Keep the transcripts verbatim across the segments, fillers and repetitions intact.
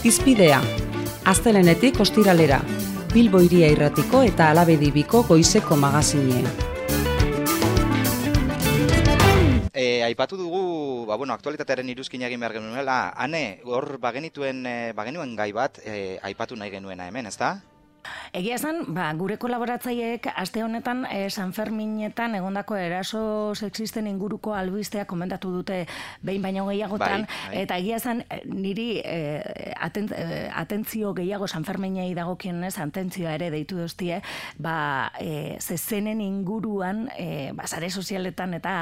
Hizpidea, astelehenetik ostiralera, Bilbo Hiria Irratiko eta Alabedibiko goizeko magazinean. E, aipatu dugu, ba, bueno, aktualitatearen iruzkin egin behar genuela, Ane, hor bagenituen, bagenuen gai bat e, aipatu nahi genuena hemen, ezta? Egia esan, ba, gure kolaboratzaileek aste honetan eh, San Ferminetan egondako eraso sexisten inguruko albistea komentatu dute behin baino gehiagotan, bai, bai. Eta egia esan niri eh, aten, eh, atentzio gehiago San Ferminei dagokienez atentzioa ere deitu doztie, ba, eh, zezenen inguruan eh, ba, sare sozialetan eta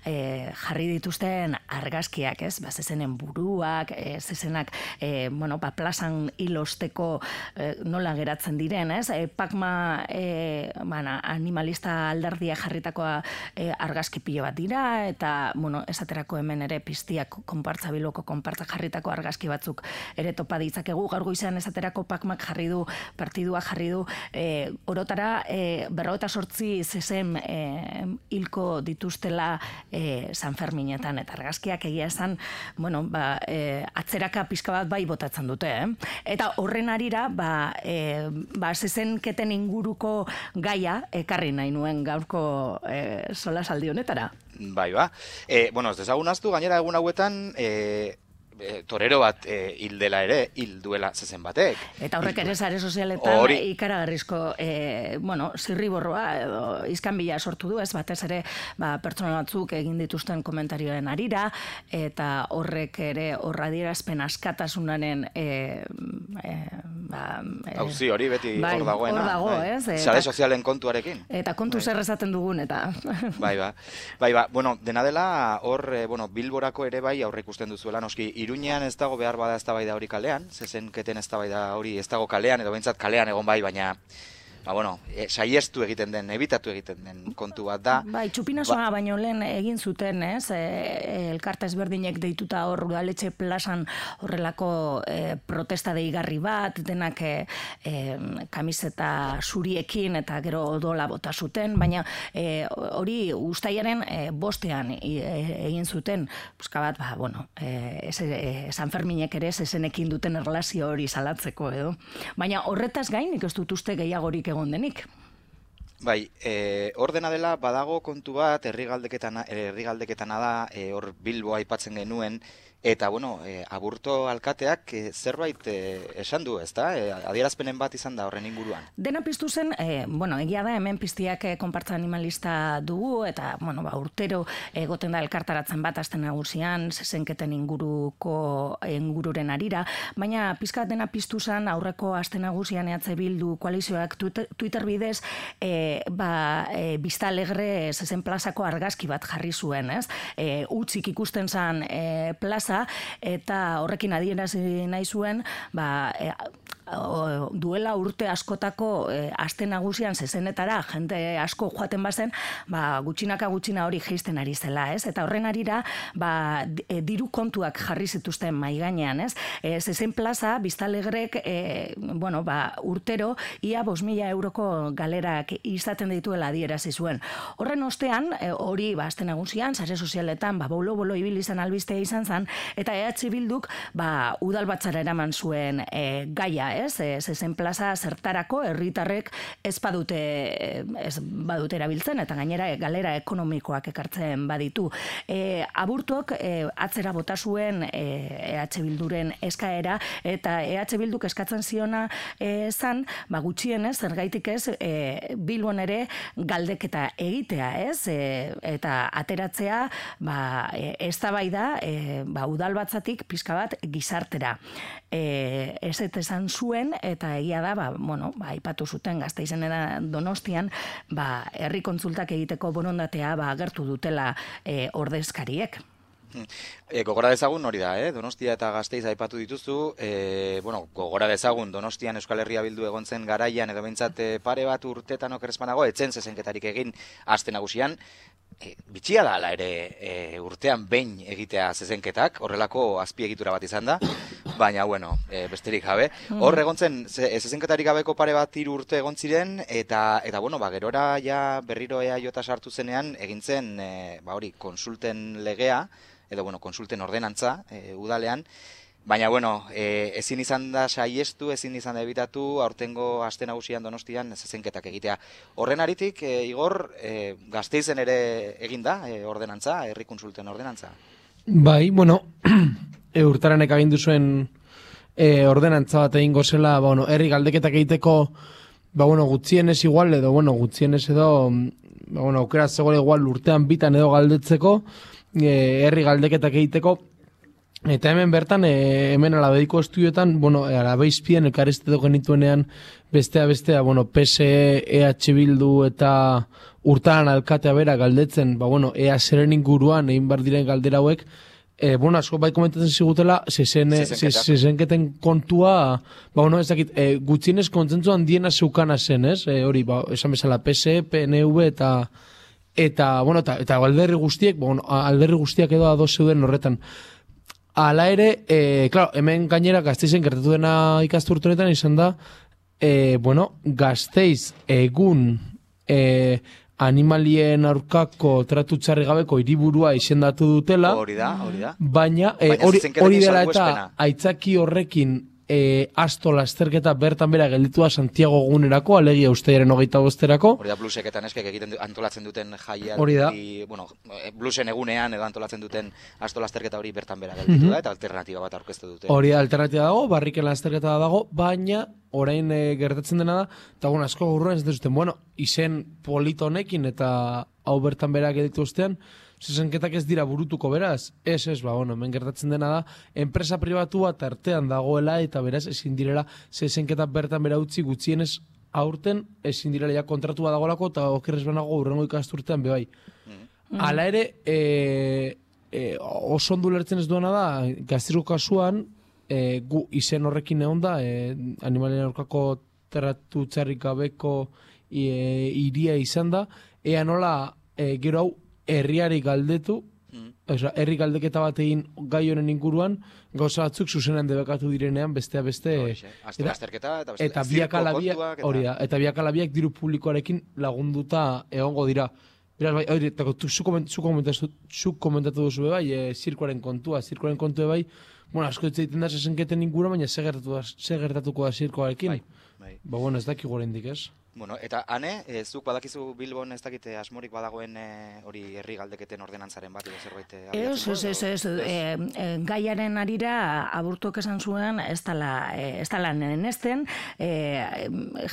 eh, jarri dituzten argazkiak, ez? Ba, zezenen buruak, eh, zezenak eh, bueno, ba, plazan hilosteko eh, nola geratzen dira. Ez? E, Pakma e, bana, animalista alderdia jarritakoa e, argazki pilo bat dira, eta bueno, esaterako hemen ere piztiak konpartza biloko konpartza jarritako argazki batzuk ere topa ditzakegu. Gaur goizean esaterako Pakmak jarri du, partidua jarri du, e, orotara e, berrogeita sortzi zezen e, hilko dituztela e, San Ferminetan, eta argazkiak egia esan, bueno, ba, e, atzeraka pizka bat bai botatzen dute, eh? Eta horren arira, ba, e, ba, zezenketen inguruko gaia ekarri nahi nuen gaurko e, solasaldi honetara. Bai, ba. E, bueno, ez dezagun aztu, gainera egun hauetan, e, e, torero bat e, hil dela ere, hil duela zezen batek. Eta horrek ere sare sozialetan Hori. ikaragarrizko, e, bueno, zirriborroa edo izkanbila sortu du, ez batez ere ba, pertsona batzuk egin dituzten komentarioen arira, eta horrek ere horradierazpen askatasunaren e, e, ba, e, Auzi hori beti bai, hor dagoena. hor dago, bai. ez? Eta, Sare sozialen kontuarekin. Eta kontu Bai. zer esaten dugun, eta... Bai, ba. Bai, ba. Bueno, dena dela, hor, eh, bueno, Bilborako ere bai aurre ikusten duzuela, noski, Iruñean ez dago behar bada eztabaida hori kalean, zezenketen eztabaida hori ez dago kalean, edo behintzat kalean egon bai, baina, ba, bueno, e, saiestu egiten den, ebitatu egiten den kontu bat da. Bai, txupinazoa ba, baino lehen egin zuten, ez? E, elkarte ezberdinek deituta hor udaletxe plazan horrelako e, protesta deigarri bat, denak e, e, kamiseta zuriekin eta gero odola bota zuten, baina e, hori uztailaren e, bostean e, egin zuten, buska bat, ba, bueno, e, ez, e, San Ferminek ere zezenekin duten erlazio hori salatzeko, edo. Baina horretaz gain, nik ez dut uste gehiagorik egon denik. Bai, e, hor dena dela badago kontu bat, herri galdeketana, herri galdeketana da, e, hor Bilbo aipatzen genuen, eta, bueno, e, Aburto alkateak e, zerbait e, esan du, ezta? E, adierazpenen bat izan da horren inguruan. Dena piztu zen, e, bueno, egia da, hemen piztiak e, konpartza animalista dugu, eta, bueno, ba, urtero egoten da elkartaratzen bat aste nagusian, zezenketen inguruko ingururen arira, baina pizkat dena piztu zen aurreko aste nagusian E H Bildu koalizioak Twitter, Twitter bidez, e, ba, e, Bista Alegre zezen plazako argazki bat jarri zuen, ez? E, utzik ikusten zen e, plaza, eta horrekin adierazi nahi zuen, ba, e, o, duela urte askotako e, aste nagusian zezenetara jente asko joaten bazen, ba, gutxinaka gutxina hori jeisten ari zela, ez? Eta horren arira, ba, e, diru kontuak jarri zituzten mai gainean, ez? E, zezen plaza, Bista Alegrek, e, bueno, ba, urtero, ia bost mila euroko galerak izaten dituela adierazi zuen. Horren ostean, e, hori, ba, aste nagusian, sare sozialetan, ba, bolo-bolo ibili izan albistea izan zen, eta E H Bilduk, ba, udalbatzara eraman zuen e, gaia, ez? E, zezen plaza zertarako herritarrek ez badute, ez badute erabiltzen, eta gainera galera ekonomikoak ekartzen baditu. E, Aburtok e, atzera bota zuen e, E H Bilduren eskaera, eta E H Bilduk eskatzen ziona e, zan, ba, gutxienez, zergaitik ez, e, Bilbon ere galdeketa egitea, ez? E, eta ateratzea, ba, e, eztabaida, e, ba, udalbatzatik pizka bat gizartera. E, ez eta esan zuen, eta egia da, ba, bueno, ba, aipatu zuten Gasteizen eta Donostian, ba, herri kontsultak egiteko borondatea ba, agertu dutela e, ordezkariek. E, gogora dezagun hori da, eh? Donostia eta Gasteiz aipatu dituzu, e, bueno, gogora dezagun Donostian Euskal Herria Bildu egon zen garaian, edo behintzat e, pare bat urtetan okerrezpanago, etzen zezenketarik egin aste nagusian, e, bitxia da ala ere e, urtean behin egitea zezenketak, horrelako azpiegitura bat izan da, baina, bueno, e, besterik gabe. Hor egon zen, zezenketarik gabeko pare bat hiru urte egon ziren, eta, eta bueno, ba, gerora ja berriro E A J sartu zenean, egin zen, e, ba hori, konsulten legea, edo, bueno, konsulten ordenantza, e, udalean, Baina, bueno, e, ezin izan da saiestu, ezin izan da ebitatu, aurtengo aste nagusian Donostian zezenketak egitea. Horren aritik, e, Igor, e, Gasteizen ere eginda, e, ordenantza, herri kontsulten ordenantza? Bai, bueno, e, urtaranek agindu zuen e, ordenantza bat egingo zela, ba, bueno, herri galdeketak egiteko, ba, bueno, gutxienez igual, edo, bueno, gutxienez edo, ba, bueno, aukera zegoela igual urtean bitan edo galdetzeko, e, herri galdeketak egiteko, eta hemen bertan, e, hemen alabeiko estudioetan, bueno, alabeizpien elkarriztetu genituenean, bestea, bestea, bueno, P S E, E H Bildu eta urtaran alkatea bera galdetzen, ba, bueno, ea zeren inguruan egin bar diren galdera hauek, e, bueno, asko bai komentatzen zigutela, zezenketen kontua, ba, bueno, ez dakit, e, gutxienez kontzentzu handiena zeukana zen, ez? E, hori, ba, esan bezala, P S E, P N V eta, eta, bueno, eta, eta alderri guztiek, ba, bueno, alderri guztiak edo ados zeuden horretan. Hala ere, e, claro, hemen gainera Gasteizen gertatu dena ikasturtenetan izan da, e, bueno, Gasteiz egun e, animalien aurkako tratu txarri gabeko hiriburua izendatu dutela. Hori da, hori da. Baina, e, hori, hori dela eta aitzaki horrekin e, asto lasterketa bertan bera gelditua Santiago gunerako, alegia usteiaren hogeita bosterako. Hori da, bluseketan eskek egiten antolatzen duten jaia. Hori da. Bueno, blusen egunean edo antolatzen duten asto lasterketa hori bertan bera gelditu mm-hmm. da, eta alternatiba bat aurkeztu dute. Hori da, alternatiba dago, barriken lasterketa dago, baina orain e, gertatzen dena da, eta bueno, asko gurruan ez duzten, bueno, izen polito honekin eta hau bertan bera gelditu ustean, zezenketak ez dira burutuko beraz, ez ez, ba, bueno, hemen gertatzen dena da, enpresa pribatu bat artean dagoela eta beraz ezin direla zezenketak bertan bera utzi gutxienez aurten ezin direla ja kontratua dagoelako eta okerrez banago urrengo ikasturtean bebai. Mm. Hala ere, e, e, oso ondo lertzen ez duena da, Gasteizko kasuan, e, gu izen horrekin egon da, e, animalien aurkako tratu txarrik gabeko e, iria izan da, ea nola e, gero hau herriari galdetu, mm. oza, herri galdeketa bat egin gai honen inguruan, gauza batzuk zuzenan debekatu direnean, bestea beste... Azte lasterketa eta beste eta biak alabiak, hori da, eta biak alabiak diru publikoarekin lagunduta egongo dira. Beraz, bai, hori, eta zu komentatu, komentatu duzu bai, e, zirkoaren kontua, zirkoaren kontua bai, bueno, asko hitz egiten da zezenketen ingura, baina ze gertatuko da zirkoarekin. Bai, bai. Ba, bueno, ez dakik gorendik, ez? Bueno, eta ane, e, zuk badakizu Bilbon ez dakite asmorik badagoen e, hori herri galdeketen ordenantzaren bat edo zerbait abiatzeko? Ez, ez, ez, ez, e, e, gaiaren arira aburtuak esan zuen ez dala, e, ez dala nenesten, e,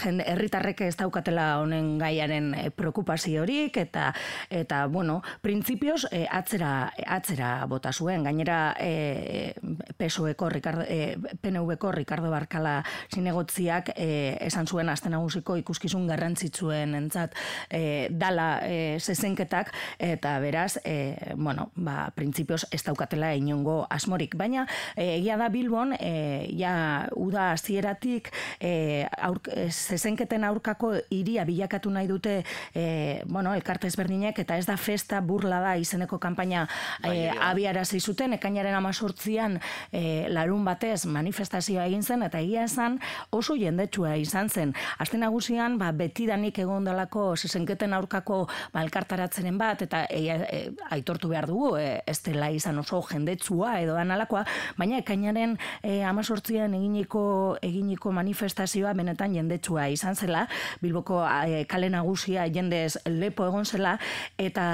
jende, herritarrek ez daukatela honen gaiaren e, preokupaziorik, eta, eta bueno, printzipioz e, atzera, atzera bota zuen, gainera e, P S O-eko, e, P N V-ko Ricardo Barkala zinegotziak e, esan zuen aste nagusiko ikuskizun garrantzitsuen entzat e, dala e, zezenketak, eta beraz, e, bueno, ba, printzipioz ez daukatela inongo asmorik. Baina, e, egia da Bilbon, e, ja, uda hasieratik e, aur, e, zezenketen aurkako hiria bilakatu nahi dute, e, bueno, elkarte ezberdinek, eta ez da festa burla da izeneko kanpaina e, abiarazi zuten, ekainaren hemezortzian e, larun batez manifestazioa egin zen, eta egia esan oso jendetsua izan zen. Aste nagusian, ba, betidanik egon dalako zezenketen aurkako ba, elkartaratzenen bat, eta e, e, aitortu behar dugu, e, ez dela izan oso jendetsua edo analakoa, baina ekainaren e, hemezortzian eginiko, eginiko manifestazioa benetan jendetsua izan zela, Bilboko e, kale nagusia jendez lepo egon zela, eta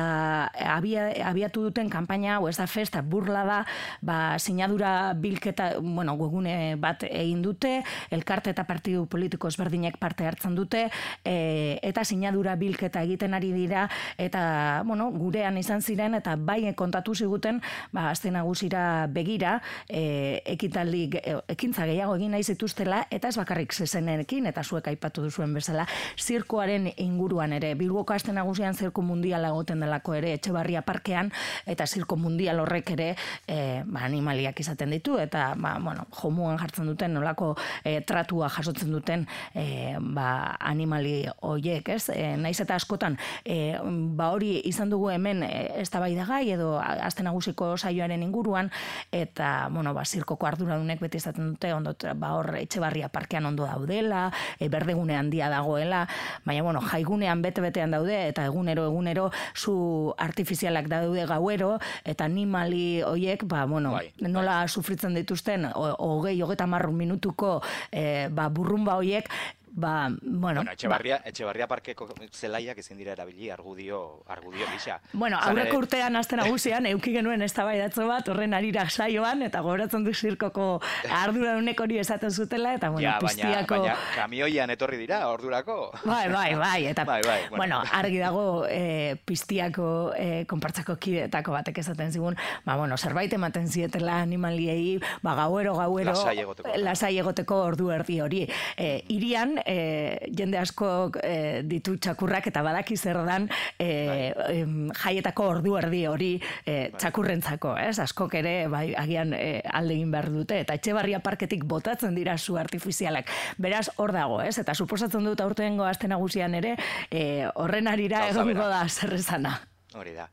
abia, abiatu duten kanpaina, hau ez da festa, burla da, ba, sinadura bilketa, bueno, webgune bat egin dute, elkarte eta partidu politiko ezberdinek parte hartzen dute, e, eta sinadura bilketa egiten ari dira, eta, bueno, gurean izan ziren, eta bai kontatu ziguten, ba, aste nagusira begira, e, ekitaldi, e, ekintza gehiago egin nahi zituztela, eta ez bakarrik zezenekin, eta zuek aipatu duzuen bezala, zirkoaren inguruan ere, Bilboko aste nagusian zirko mundiala egoten delako ere, Etxebarria parkean, eta zirko mundial horrek ere, e, ba, animaliak izaten ditu, eta, ba, bueno, jomuan jartzen duten, nolako e, tratua jasotzen duten, e, ba, animaliak animali hoiek, ez? E, naiz eta askotan, e, ba hori izan dugu hemen eztabaidagai edo aste nagusiko saioaren inguruan, eta, bueno, ba, zirkoko arduradunek beti izaten dute, ondo, ba, hor Etxebarria parkean ondo daudela, e, berdegune handia dagoela, baina, bueno, jaigunean bete-betean daude, eta egunero, egunero, zu artifizialak daude gauero, eta animali hoiek, ba, bueno, bai, nola bai. Sufritzen dituzten, hogei, hogeita marru minutuko, e, ba, burrumba hoiek, ba, bueno... Bueno, Etxebarria, ba, Etxebarria parkeko zelaiak ezin dira erabili argudio, argudio gisa. Bueno, aurreko urtean aste nagusian eduki genuen eztabaidatxo bat horren harira saioan, eta gogoratzen du zirkoko arduradunek hori esaten zutela, eta bueno, ja, piztiako... Baina, baina kamioian etorri dira, ordurako. Bai, bai, bai, eta bai, bai, bueno. bueno, argi dago e, piztiako e, konpartzako kideetako batek esaten zigun, ba, bueno, zerbait ematen zietela animaliei, ba, gauero, gauero, lasai egoteko, lasai egoteko ordu erdi hori. E, irian, E, jende asko e, ditu txakurrak eta badaki zer dan e, e, jaietako ordu erdi hori e, txakurrentzako, ez? Askok ere bai, agian e, alde egin behar dute, eta Etxebarria parketik botatzen dira zu artifizialak. Beraz, hor dago, ez? Eta suposatzen dut aurtengo aste nagusian ere e, horren arira egongo da zerrezana. Hori da.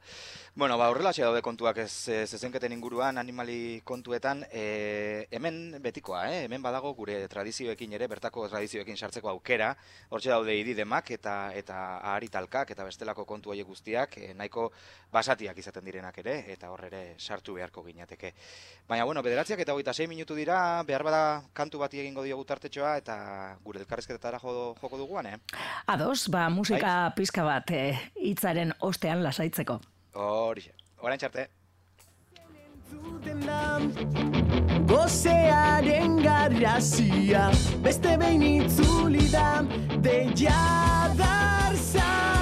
Bueno, ba, horrela daude kontuak ez zezenketen inguruan, animali kontuetan, e, hemen betikoa, eh? Hemen badago gure tradizioekin ere, bertako tradizioekin sartzeko aukera, hortxe daude ididemak eta eta aharitalkak eta bestelako kontu horiek guztiak, e, nahiko basatiak izaten direnak ere, eta hor ere sartu beharko ginateke. Baina, bueno, bederatziak eta hogeita sei minutu dira, behar bada kantu bati egingo diogu tartetxoa, eta gure elkarrezketetara jo, joko duguan, eh? Ados, ba, musika Hai? Pizka bat eh, hitzaren ostean lasaitzeko. Horixe, orain txarte. Gozearen garrazia beste behin itzuli da deia darza.